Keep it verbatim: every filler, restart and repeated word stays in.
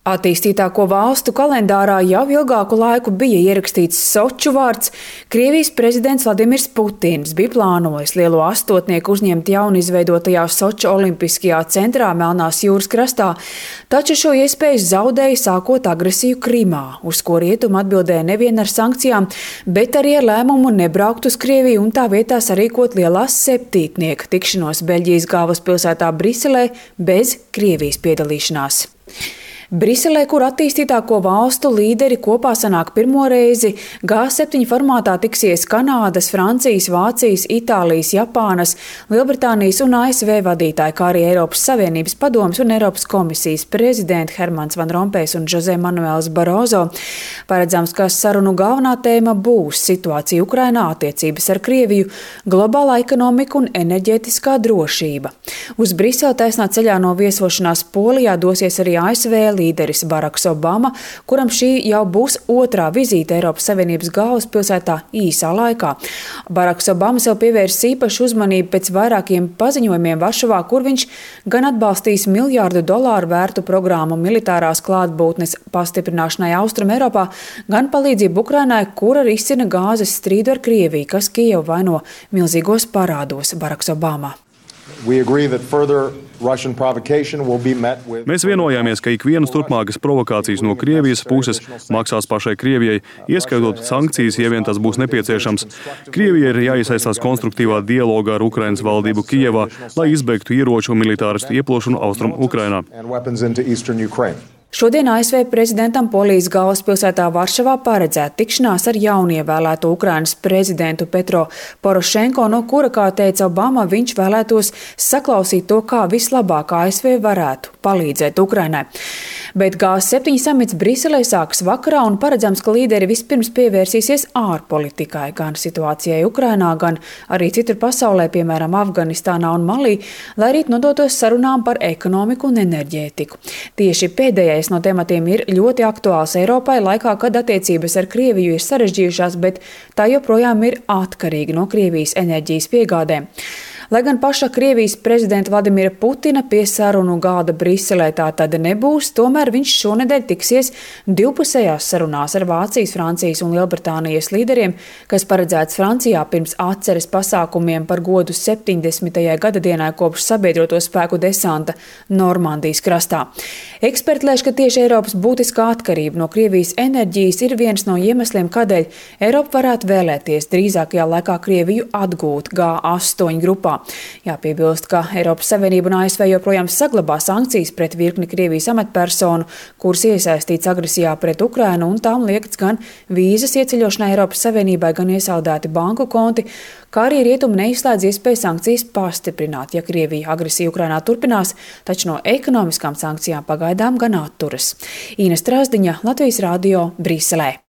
Attīstītāko valstu kalendārā jau ilgāku laiku bija ierakstīts Soču vārds. Krievijas prezidents Vladimirs Putins bija plānojis lielo astotnieku uzņemt jaunizveidotajā Soču olimpiskajā centrā Melnās jūras krastā, taču šo iespēju zaudēja sākot agresiju Krimā, uz ko rietumi atbildēja nevien ar sankcijām, bet arī ar lēmumu nebraukt uz Krieviju un tā vietā sarīkot lielās septītnieka tikšanos Beļģijas galvaspilsētā Briselē bez Krievijas piedalīšanās. Briselē, kur attīstītāko valstu līderi kopā sanāk pirmo reizi, G septiņi formātā tiksies Kanādas, Francijas, Vācijas, Itālijas, Japānas, Lielbritānijas un A S V vadītāji, kā arī Eiropas Savienības padomes un Eiropas komisijas prezidenti Hermans Van Rompējs un Jose Manuels Barozo. Paredzams, ka sarunu galvenā tēma būs situācija Ukrainā, attiecības ar Krieviju, globālā ekonomika un enerģētiskā drošība. Uz Briseli taisnā ceļā no viesošanās Polijā dosies arī A S V līderis Baraks Obama, kuram šī jau būs otrā vizīte Eiropas Savienības galvaspilsētā īsā laikā. Baraks Obama sev pievērsis īpašu uzmanību pēc vairākiem paziņojumiem Varšavā, kur viņš gan atbalstīs miljārdu dolāru vērtu programmu militārās klātbūtnes pastiprināšanai Austrum Eiropā, gan palīdzību Ukrainai, kur arī izcina gāzes strīdu ar Krieviju, kas Kijevu vaino milzīgos parādos. Baraks Obama. Mēs vienojāmies, ka ikvienas turpmākas provokācijas no Krievijas puses maksās pašai Krievijai, ieskaitot sankcijas, ja vien tas būs nepieciešams. Krievijai ir jāiesaistās konstruktīvā dialogā ar Ukrainas valdību Kijevā, lai izbeigtu ieroču un militāristu ieplošanu Austrum Ukrainā. Šodien A S V prezidentam Polijas galvaspilsētā Varšavā paredzēta tikšanās ar jaunievēlēto Ukrainas prezidentu Petro Porošenko, no kura, kā teica Obama, viņš vēlētos saklausīt to, kā vislabāk A S V varētu palīdzēt Ukrainai. Bet G septiņi samits Briselē sāks vakarā un paredzams, ka līderi vispirms pievērsīsies ārpolitikai, gan situācijai Ukrainā, gan arī citur pasaulē, piemēram, Afganistānā un Malī, lai rīt nodotos sarunām par ekonomiku un enerģētiku. Tieši pēdējais no tematiem ir ļoti aktuāls Eiropai laikā, kad attiecības ar Krieviju ir sarežģījušās, bet tā joprojām ir atkarīga no Krievijas enerģijas piegādēm. Lai gan paša Krievijas prezidenta Vladimira Putina pie sarunu galda Briselē tā tad nebūs, tomēr viņš šonedēļ tiksies divpusējās sarunās ar Vācijas, Francijas un Lielbritānijas līderiem, kas paredzēts Francijā pirms atceres pasākumiem par godu septiņdesmitajai gadadienai kopš sabiedroto spēku desanta Normandijas krastā. Eksperti lēš, ka tieši Eiropas būtiskā atkarība no Krievijas enerģijas ir viens no iemesliem, kādēļ Eiropa varētu vēlēties drīzākajā laikā Krieviju atgūt G astoņi grupā. Jāpiebilst, ka Eiropas Savienība un A S V joprojām saglabā sankcijas pret virkni Krievijas amatpersonu, kuras iesaistīts agresijā pret Ukrainu, un tām liekts gan vīzas ieceļošanai Eiropas Savienībai, gan iesaldēti banku konti, kā arī rietumi neizslēdz iespēju sankcijas pastiprināt, ja Krievija agresija Ukrainā turpinās, taču no ekonomiskām sankcijām pagaidām gan atturas. Īna Strāzdiņa, Latvijas radio, Briselē.